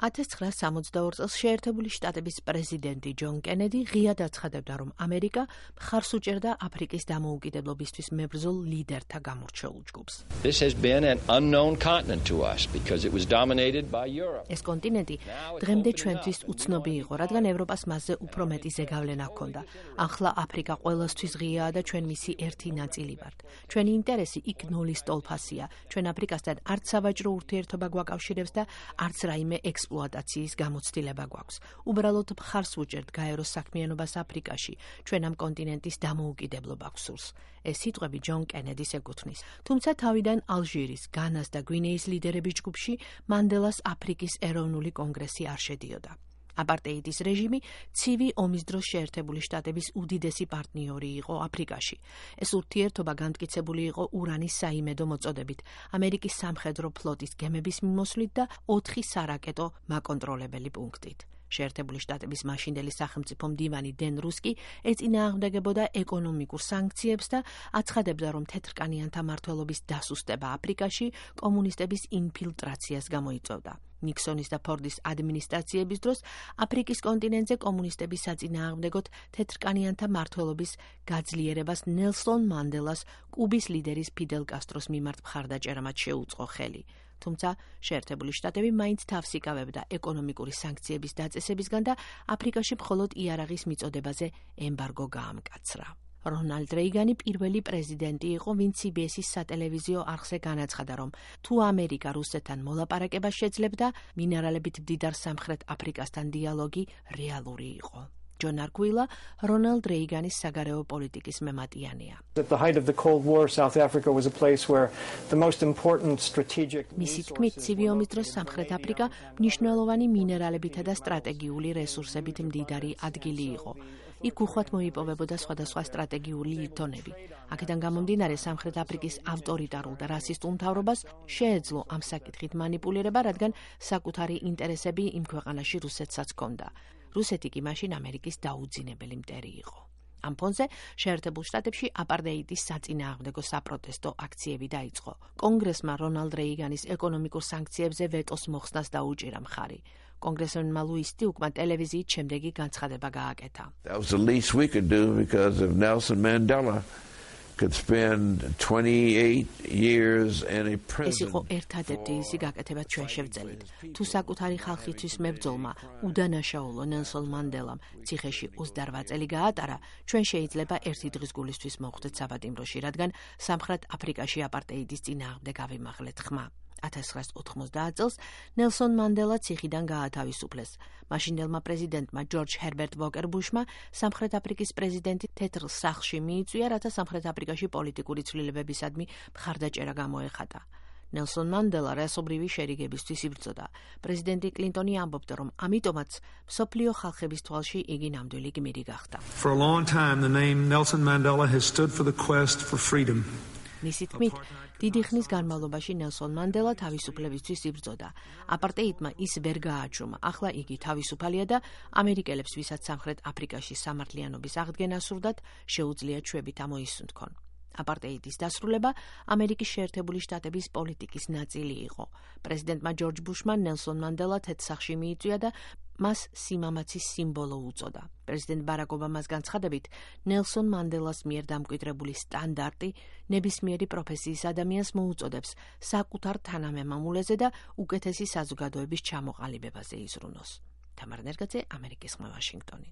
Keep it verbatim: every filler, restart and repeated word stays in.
ათას ცხრაასი სამოცდაორი წელს შეერთებული შტატების პრეზიდენტი ჯონ კენედი ღიად აცხადებდა, რომ ამერიკა მხარს უჭერდა აფრიკის დამოუკიდებლობისთვის მებრძოლ ლიდერთა გამორჩეულ ჯგუფს. This has been an unknown continent to us because it was dominated by Europe. ეს კონტინენტი დღემდე ჩვენთვის უცნობი იყო, რადგან ევროპას მასზე უფრო მეტი ზეგავლენა ჰქონდა. ახლა აფრიკა ყველასთვის ღიაა და ჩვენ მისი ერთი ნაწილი ვართ. ჩვენი ინტერესი იქ ნოლის ტოლფასია. ჩვენ აფრიკასთან არც სავაჭრო ურთიერთობა გვაკავშირებს და არც რაიმე ექსპლუატაციის გამოცდილება გვაქვს. უბრალოდ მხარს ვუჭერთ გაეროს საქმიანობას აფრიკაში. ჩვენ ამ კონტინენტის დამოუკიდებლობა გვსურს. ეს სიტყვები ჯონ კენედის ეკუთვნის. თუმცა თავიდან ალჟირის, განას და გვინეის ლიდერების ჯგუფში მანდელას აფრიკის ეროვნული კონგრესი არ შედიოდა. აპარტეიდის რეჟიმი ცივი ომის დროს შეერთებული შტატების უდიდესი პარტნიორი იყო აფრიკაში. ეს ურთიერთობა განმტკიცებული იყო ურანის საიმედო მოწოდებით, ამერიკის სამხედრო ფლოტის გემების მიმოსვლით და ოთხი სარაკეტო მაკონტროლებელი პუნქტით. შეერთებული შტატების მაშინდელი სახელმწიფო მდივანი დენ რუსკი ეწინააღმდეგებოდა ეკონომიკურ სანქციებს და აცხადებდა, რომ თეთრკანიანთა მმართველობის დასუსტება აფრიკაში კომუნისტების ინფილტრაციას გამოიწვევდა. ნიქსონის და ფორდის ადმინისტრაციების დროს აფრიკის კონტინენტზე კომუნისტების საწინააღმდეგოდ თეთრკანიანთა მმართველობის გაძლიერებას ნელსონ მანდელას კუბის ლიდერის ფიდელ კასტროს მიმართ მხარდაჭერამაც შეუწყო ხელი. თუმცა შეერთებული შტატები მაინც თავს იკავებდა ეკონომიკური სანქციების დაწესებისგან და აფრიკაში მხოლოდ იარაღის მიწოდებაზე ემბარგო გაამკაცრა. რონალდ რეიგანი პირველი პრეზიდენტი იყო, ვინც სი ბი ეს-ის სატელევიზიო არხზე განაცხადა, რომ თუ ამერიკა რუსეთთან მოლაპარაკებას შეძლებდა, მინერალებით მდიდარ სამხრეთ აფრიკასთან დიალოგი რეალური იყო. ჯონ არკვილა რონალდ რეიგანის საგარეო პოლიტიკის მემატიანია. At the height of the Cold War, South Africa was a place where the most important strategic მისი თქმით, ცივი ომის დროს სამხრეთ აფრიკა მნიშვნელოვანი მინერალებითა და სტრატეგიული რესურსებით მდიდარი ადგილი იყო. იქ უხვად მოიპოვებოდა სხვადასხვა სტრატეგიული ლითონები. აქედან გამომდინარე, სამხრეთ აფრიკის ავტორიტარულ და რასისტულ მთავრობას შეეძლო ამ საკითხით მანიპულირება, რადგან საკუთარი ინტერესები იმ ქვეყანაში რუსეთსაც ჰქონდა. რუსეთი კი მაშინ ამერიკის დაუძინებელი მტერი იყო. ამ ფონზე შეერთებულ შტატებში აპარტეიდის საწინააღმდეგო საპროტესტო აქციები დაიწყო. კონგრესმა რონალდ რეიგანის ეკონომიკურ სანქციებზე ვეტოს მოხსნას დაუჭირა მხარი. კონგრესმენმა ლუის სტიუკმა ტელევიზიით შემდეგი განცხადება გააკეთა. That was the least we could do because of Nelson Mandela could spend twenty-eight years in a prison. ეს იყო ერთადერთი ისი გაკეთება ჩვენ შევძელით. თუ საკუთარი ხალხისთვის მებრძოლმა უდანაშაულო ნელსონ მანდელამ ციხეში ოცდარბა წელი გაატარა, ჩვენ შეიძლება ერთი დღის გულისთვის მოვხდეთ საბატიმროში, რადგან სამხრეთ აფრიკაში აპარტეიდის წინააღმდეგ ავიმაღლეთ ხმა. ათას ცხრაასი ოთხმოცდაათი წელს ნელსონ მანდელა ციხიდან გაათავისუფლეს. მაშინდელმა პრეზიდენტმა ჯორჯ ჰერბერტ ვოკერ ბუშმა სამხრეთ აფრიკის პრეზიდენტი თეთრ სახლში მიიწვია, რათა სამხრეთ აფრიკაში პოლიტიკური ცვლილებებისადმი მხარდაჭერა გამოეხატა. ნელსონ მანდელა რასობრივი შერიგებისთვის იბრძოდა. პრეზიდენტი კლინტონი ამბობდა, რომ ამიტომაც მსოფლიო ხალხების თვალში იგი ნამდვილი გმირი გახდა. For a long time the name Nelson Mandela has stood for the quest for freedom. მისი თქმით, დიდი ხნის განმავლობაში ნელსონ მანდელა თავისუფლებისთვის იბრძოდა. აპარტეიდმა ის ვერ გააჩვმა. ახლა იგი თავისუფალია და ამერიკელებს, ვისაც სამხრეთ აფრიკაში სამართლიანობის აღდგენა სურდათ, შეუძლიათ შვებით ამოისუნთქონ. აპარტეიდის დასრულება ამერიკის შეერთებული შტატების პოლიტიკის ნაწილი იყო. პრეზიდენტმა ჯორჯ ბუშმა ნელსონ მანდელა თეთრსახლში მიიწვია და მას სიმამაცის სიმბოლო უწოდა. პრეზიდენტ ბარაკ ობამას განცხადებით, ნელსონ მანდელას მიერ დამკვიდრებული სტანდარტი ნებისმიერი პროფესიის ადამიანს მოუწოდებს საკუთარ თანამემამულეზე და უკეთესი საზოგადოების ჩამოყალიბებაზე იზრუნოს. თამარ ნერგაძე, ამერიკის ხმა, ვაშინგტონი.